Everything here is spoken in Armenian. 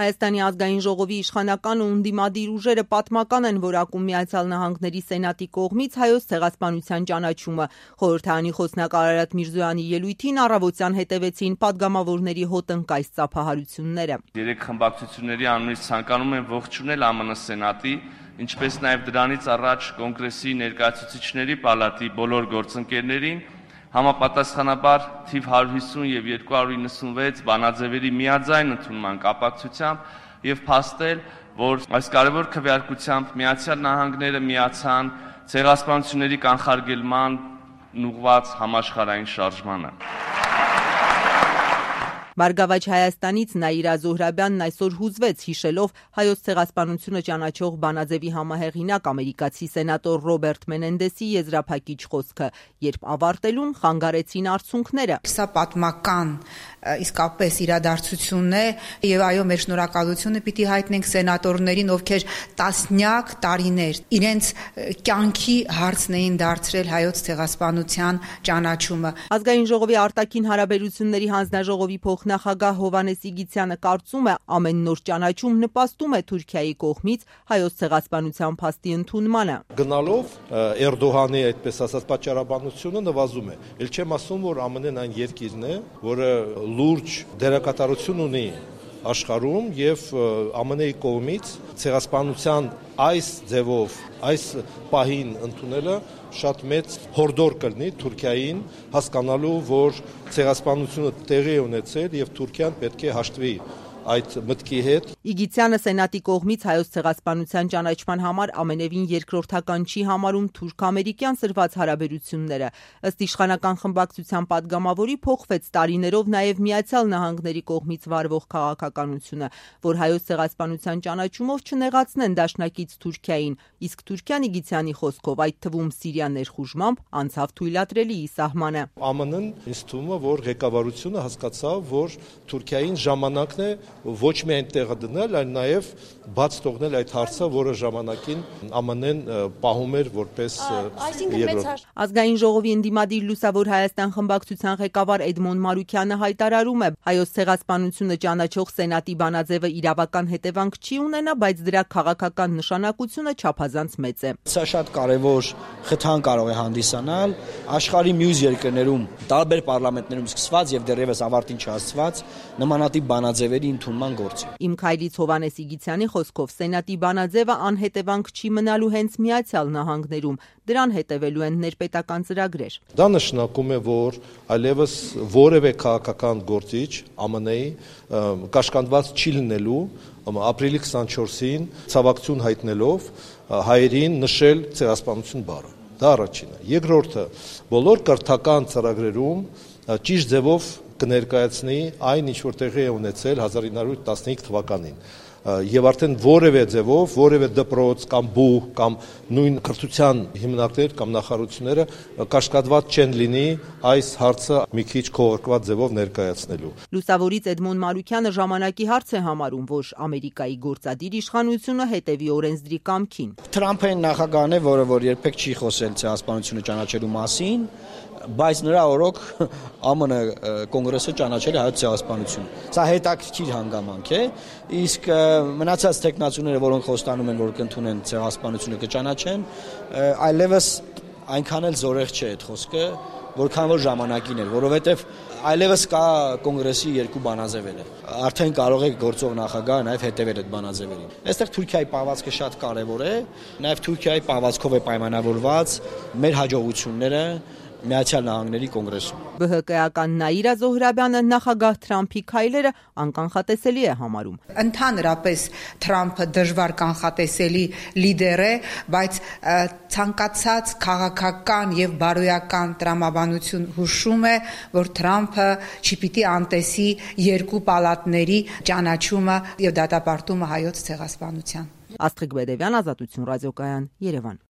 Հայաստանի ազգային ժողովի իշխանական ու ընդդիմադիր ուժերը պատմական են որակում Միացյալ Նահանգների Սենատի կողմից Հայոց ցեղասպանության ճանաչումը։ Խորհրդարանի խոսնակ Արարատ Միրզոյանի ելույթին առավոտյան հետևեցին падգամավորների հոտնկայս ծափահարությունները։ Երեք խմբակցությունների անունից ցանկանում եմ ողջունել ԱՄՆ Սենատի, ինչպես նաև դրանից առաջ կոնգրեսի ներկայացուցիչների պալատի բոլոր գործընկերներին, համապատասխանաբար թիվ 150 եւ 296 բանաձևերի միաձայն ընդունման կապակցությամբ եւ փաստել, որ այս կարևոր քվեարկությամբ Միացյալ Նահանգները միացան ցեղասպանությունների կանխարգելման ուղղված համաշխարհային շարժմանը։ Բարգավաճ Հայաստանից Նաիրա Զոհրաբյանն այսօր հուզվեց հիշելով Հայոց ցեղասպանությունը ճանաչող բանաձևի համահեղինակ ամերիկացի սենատոր Ռոբերտ Մենենդեսի եզրափակիչ խոսքը, երբ ավարտելուն խանգարեցին արցունքները։ Սա պատմական իսկապես իրադարձություն է եւ այո մեր շնորհակալությունը պիտի հայտնենք սենատորներին, ովքեր տասնյակ տարիներ իրենց կյանքի հարցն էին դարձրել Հայոց ցեղասպանության ճանաչումը։ Ազգային ժողովի արտաքին հարաբերությունների հանձնաժողովի նախագահ Հովհաննես Իգիթյանը կարծում է, ամեն նոր ճանաչում նպաստում է Թուրքիայի կողմից Հայոց ցեղասպանության փաստի ընդունմանը։ Գնալով Էրդողանի այդպես ասած պատճառաբանությունը նվազում է։ Էլ չեմ ասում, որ ԱՄՆ-ն այն երկիրն է, որը լուրջ դերակատարություն ունի աշխարհում եւ ԱՄՆ-ի կողմից ցեղասպանության այս ձևով այս պահին ընդունելը շատ մեծ հորդոր կլինի Թուրքիային հասկանալու, որ ցեղասպանությունը տեղի է ունեցել եւ Թուրքիան պետք է հաշտվի այդ մտքի հետ։ Իգիթյանը Սենատի կողմից Հայոց ցեղասպանության ճանաչման համար ամենևին երկրորդական չի համարում թուրք-ամերիկյան սրված հարաբերությունները։ Ըստ իշխանական խմբակցության падգամավորի փոխվեց տարիներով նաև Միացյալ Նահանգների կողմից վարվող քաղաքականությունը, որ Հայոց ցեղասպանության ճանաչումով չնեղացնեն դաշնակից Թուրքիային, իսկ Թուրքիան Իգիթյանի խոսքով այդ թվում Սիրիա ներխուժմամբ անցավ թույլատրելիի սահմանը։ ԱՄՆ-ն ինձ թվում է, որ ղեկավարությունը հասկացավ, որ Թուրքիային ժամանակն է ոչ միայն տեղը դնել, այլ նաև բաց թողնել այդ հարցը, որը ժամանակին ԱՄՆ-ն պահում էր որպես երկրորդ։ Ազգային ժողովի ընդդիմադիր Լուսավոր Հայաստան խմբակցության ղեկավար Էդմոն Մարուքյանը հայտարարում է, Հայոց ցեղասպանությունը ճանաչող Սենատի բանաձևը իրավական հետևանք չի ունենա, բայց դրա քաղաքական նշանակությունը չափազանց մեծ է։ Սա շատ կարևոր խթան կարող է հանդիսանալ աշխարհի մյուս երկրներում, տարբեր պարլամենտներում սկսված եւ դեռևս ավարտին չհասցված նմանատիպ բանաձևերի ընդունման գործը։ Իմ քայլից Հովհաննես Իգիթյանի խոսքով Սենատի բանաձևը անհետևանք չի մնալու հենց Միացյալ Նահանգներում, դրան հետևելու են ներպետական ծրագրեր։ Դա նշանակում է, որ այլևս որևէ քաղաքական գործիչ ԱՄՆ-ի կաշկանդված չի լինելու ապրիլի 24-ին ցավակցություն հայտնելով հայերին նշել ցեղասպանություն բառը։ Դա առաջինը։ Երկրորդը, բոլոր կրթական ծրագրերում ճիշտ ձևով կներկայացնի այն, ինչ որ տեղի է ունեցել 1915 թվականին։ Եվ արդեն որևէ ձևով, որևէ դպրոց կամ բուհ կամ նույն կրթության հիմնարկներ կամ նախարարությունները կաշկադված չեն լինի այս հարցը մի քիչ քողարկված ձևով ներկայացնելու։ Լուսավորից Էդմոն Մարուքյանը ժամանակի հարց է համարում, որ Ամերիկայի գործադիր իշխանությունը հետևի օրենսդրի կամքին։ Թրամփն նախագահն է, որը երբեք չի խոսել ցեղասպանությունը ճանաչելու մասին, բայց նրա օրոք ԱՄՆ կոնգրեսը ճանաչել է Հայոց ցեղասպանությունը։ Սա հետաքրքիր հանգամանք է, իսկ մնացած տեխնացուները, որոնք խոստանում են, որ կընդունեն ցեղասպանությունը կճանաչեն, այլևս այնքան էլ զորեղ չէ այդ խոսքը, որքան որ ժամանակին էր, որովհետև այլևս կա կոնգրեսի երկու բանաձևերը։ Արդեն կարող է գործող նախագահը նաև հետևել այդ բանաձևերին։ Այստեղ Թուրքիայի պահվածքը շատ կարևոր է, նաև Թուրքիայի պահվածքով է պայմանավորված մեր հաջողությունները Միացյալ Նահանգների կոնգրեսում։ ԲՀԿ-ական Նաիրա Զոհրաբյանը նախագահ Թրամփի քայլերը անկանխատեսելի է համարում։ Ընդհանրապես Թրամփը դժվար կանխատեսելի լիդեր է, բայց ցանկացած քաղաքական եւ բարոյական տրամաբանություն հուշում է, որ Թրամփը չպիտի անտեսի երկու պալատների ճանաչումը եւ դատապարտումը Հայոց ցեղասպանության։ Աստղիկ Բեդևյան, Ազատություն ռադիոկայան, Երևան։